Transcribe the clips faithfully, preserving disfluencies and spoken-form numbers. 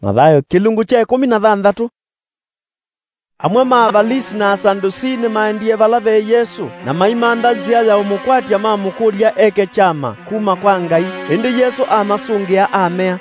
Mathayo kĩlungu kya ĩkũmi na thanthatũ. Amwe ma Avalisi na Asadusii nĩmaendie vala ve Yesũ, na maimantha nzĩa ya ũmũkwatya mamũkũlya eke kyama kuma kwa Ngai. Ĩndĩ Yesũ amasũngĩa, amea,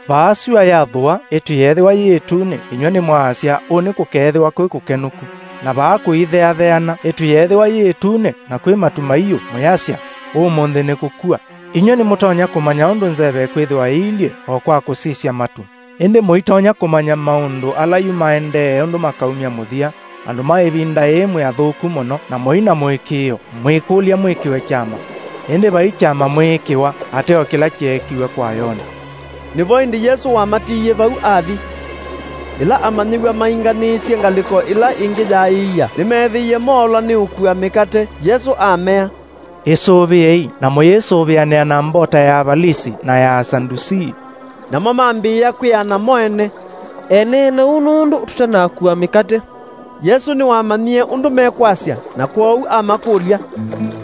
"Vaa syũa yathũa, ĩtu yeethĩwa yĩ ĩtunĩ, inyw'ĩ nĩmwaasya, 'Ũũ nĩkũkeethĩwa kwĩ kũkenũku.' Na vaa kũitheatheana, ĩtu yeethĩwa yĩ ĩtunĩ, na kwĩ matu maiũ, mũyasya, 'Ũmũnthĩ nĩkũkua.' Inyw'ĩ nĩmũtonya kũmanya ũndũ nzeve ĩkwĩthĩwa ĩilyĩ o kwa kũsisya matu. Ĩndĩ mũitonya kũmanya maũndũ ala yu maendee ũndũ makaumya mũthya. Andũ ma ĩvinda yĩĩ mwĩ athũku mũno, na mũi na mũĩkĩĩo, mwĩkũlya mwĩkĩwe kyama. Ĩndĩ vai kyama mwĩĩkĩwa, ateo kĩla kyeekiwe kwa Yona." Nĩvo ĩndĩ Yesũ wamatiie vau athi. Ĩla amanyĩw'a mainganĩisye ngalĩko ĩla ĩngĩ ya ĩia, nĩmeethĩie moolwa nĩ ũkua mĩkate. Yesũ amea, "Ĩsũvĩei, na mũyĩsũvĩanĩa na mbota ya Avalisi na ya Asadusii." Namo mambĩĩa kwĩana mo ene, "Eneena ũu nũndũ tũtanakua mĩkate." Yesũ nĩwamanyie ũndũ mekwasya, na kwoou amakũlya,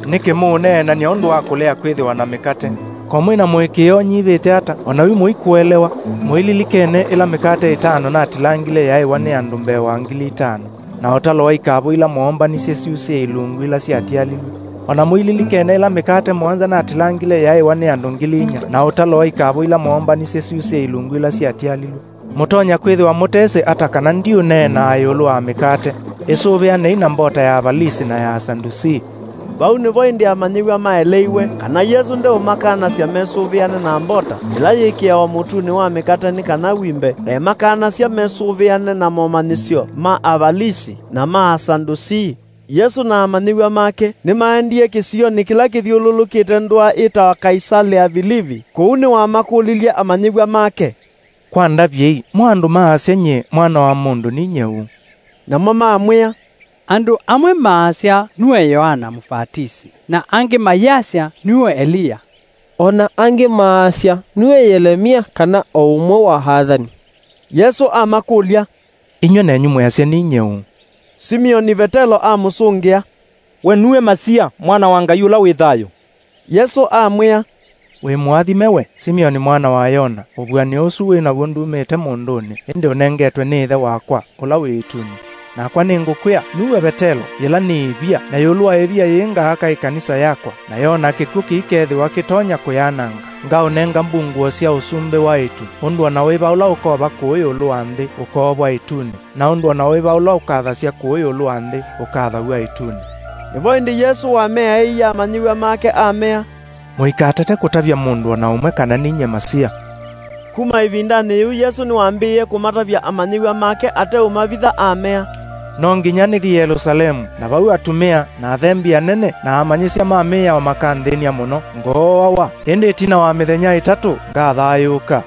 "Nĩkĩ mũũneenany'a ũndũ wa kũlea kwĩthĩwa na mĩkate? Ko mwĩ na mũĩkĩĩo ũnyivĩte ata, o na yu mũikũelewa? Mũililikene ĩla mĩkate ĩtano natilangile yaĩwa nĩ andũ mbee wa ngili itano, na ũtalo wa ikavũ ila moombanisye syusĩe ilungu ila syatialilw'e? O na mũililikene ĩla mĩkate mũonza natilangile yaĩwa nĩ andũ ngili inya, na ũtalo wa ikavũ ila moombanisye syusĩe ilungu ila syatialilw'e? Mũtonya kwĩthĩwa mũtesĩ ata kana ndiũneenaa ĩũlũ wa mĩkate? Ĩsũvĩanei na mbota ya Avalisi na ya Asadusii." Vau nĩvo ĩndĩ amanyĩw'a maeleiwe kana Yesũ ndeũmakanasya mesũvĩane na mbota ĩla yĩkĩawa mũtunĩ wa mĩkate nĩ kana wimbe, eemakanasya mesũvĩane na momanyĩsyo ma Avalisi na ma Asadusii. Yesũ na amanyĩw'a make nĩmaendie kĩsionĩ kĩla kĩthyũlũlũkĩte ndũa ĩtawa Kaisalea Vilivi. Kũu nĩwamakũlilye amanyĩw'a make, "Kwa ndavyei, mo andũ maasya nyie Mwana wa Mũndũ ninyie ũ?" Namo mamwĩa, "Andũ amwe maasya nue Yoana Mũvatisi, na angĩ mayasya nue Eliya, o na angĩ maasya nue Yelemia kana o ũmwe wa athani." Yesũ amakũlya, "Inyw'ĩ nenyu mwĩasya ninyie ũ?" Simioni Vetelo amũsũngĩa, "We nue Masia, Mwana wa Ngai ũla wĩ thayũ." Yesũ amwĩa, "Wĩ mũathime we, Simioni mwana wa Yona, ũvuanĩo ũsu wĩ naw'o ndumĩte mũndũnĩ, ĩndĩ ũnengetwe nĩ Ĩthe wakwa, ũla wĩ ĩtunĩ. Nakwa nĩngũkwĩa, nue Vetelo, yĩla nĩ ĩvia, na ĩũlũ wa ĩvia yĩĩ ngaaka ĩkanisa yakwa, na yo na kĩkw'ũ kĩikethĩwa kĩtonya kũyananga. Ngaũnenga mbungũo sya ũsumbĩ wa ĩtu, ũndũ o na wĩva ũla ũkova kũũ ĩũlũ wa nthĩ ũkoovwa ĩtunĩ, na ũndũ o na wĩva ũla ũkathasya kũũ ĩũlũ wa nthĩ ũkathaw'a ĩtunĩ." Nĩvo ĩndĩ Yesũ wameaĩie amanyĩw'a make amea, "Mũikatate kũtavya mũndũ o na ũmwe kana ninyie Masia." Kuma ĩvindanĩ yĩu Yesũ nĩwambĩĩe kũmatavya amanyĩw'a make ateũmavitha amea, "No nginya nĩthi Yelũsalemu, na vau atumĩa, na athembi anene, na amanyĩsya ma mĩao makanthĩny'a mũno, ngooawa, ĩndĩ ĩtina wa mĩthenya ĩtatũ ngathayũũka."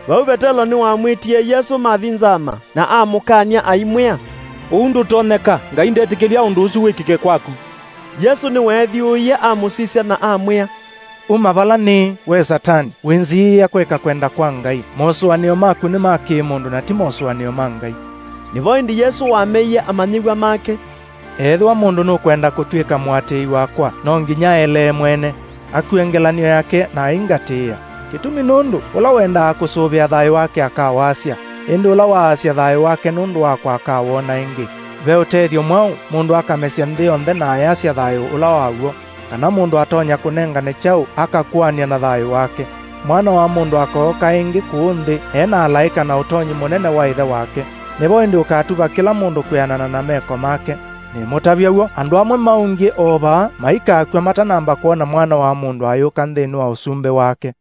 Vau Vetelo nĩwamwĩtie Yesũ mathi nzama, na amũkany'a aimwĩa, "Ũu ndũtonyeka, Ngai ndetĩkĩlya ũndũ ũsu wĩkĩke kwaku." Yesũ nĩweethyũũie amũsisya na amwĩa, "Uma vala nĩĩ, we Satani, wĩnziĩĩa kwĩka kwenda kwa Ngai. Mosũanĩo maku nĩ ma kĩ-mũndũ na ti mosũanĩo ma Ngai." Nĩvo ĩndĩ Yesũ wameie amanyĩw'a make, "Ethĩwa mũndũ nũkwenda kũtw'ĩka mũatĩĩi wakwa, no nginya aelee mwene, akue ngelany'o yake na aingatĩĩa. Kĩtumi nũndũ, ũla wendaa kũsũvĩa thayũ wake akawasya, ĩndĩ ũla waasya thayũ wake nũndũ wakwa akawona ĩngĩ. Ve ũtethyo mwaũ mũndũ akamesya nthĩ yonthe na ayasya thayũ ũla waw'o, kana mũndũ atonya kũnengane kyaũ akakũanĩa na thayũ wake? Mwana wa mũndũ akooka ĩngĩ kũũ nthĩ e na alaĩka na ũtonyi mũnene wa Ĩthe wake. Nĩvo ĩndĩ ũkatuva kĩla mũndũ kwĩanana na meko make. Nĩmũtavya w'o, andũ amwe maũngyĩ o vaa maikakw'a matanamba kwona Mwana wa mũndũ ayũka nthĩnĩ wa ũsumbĩ wake."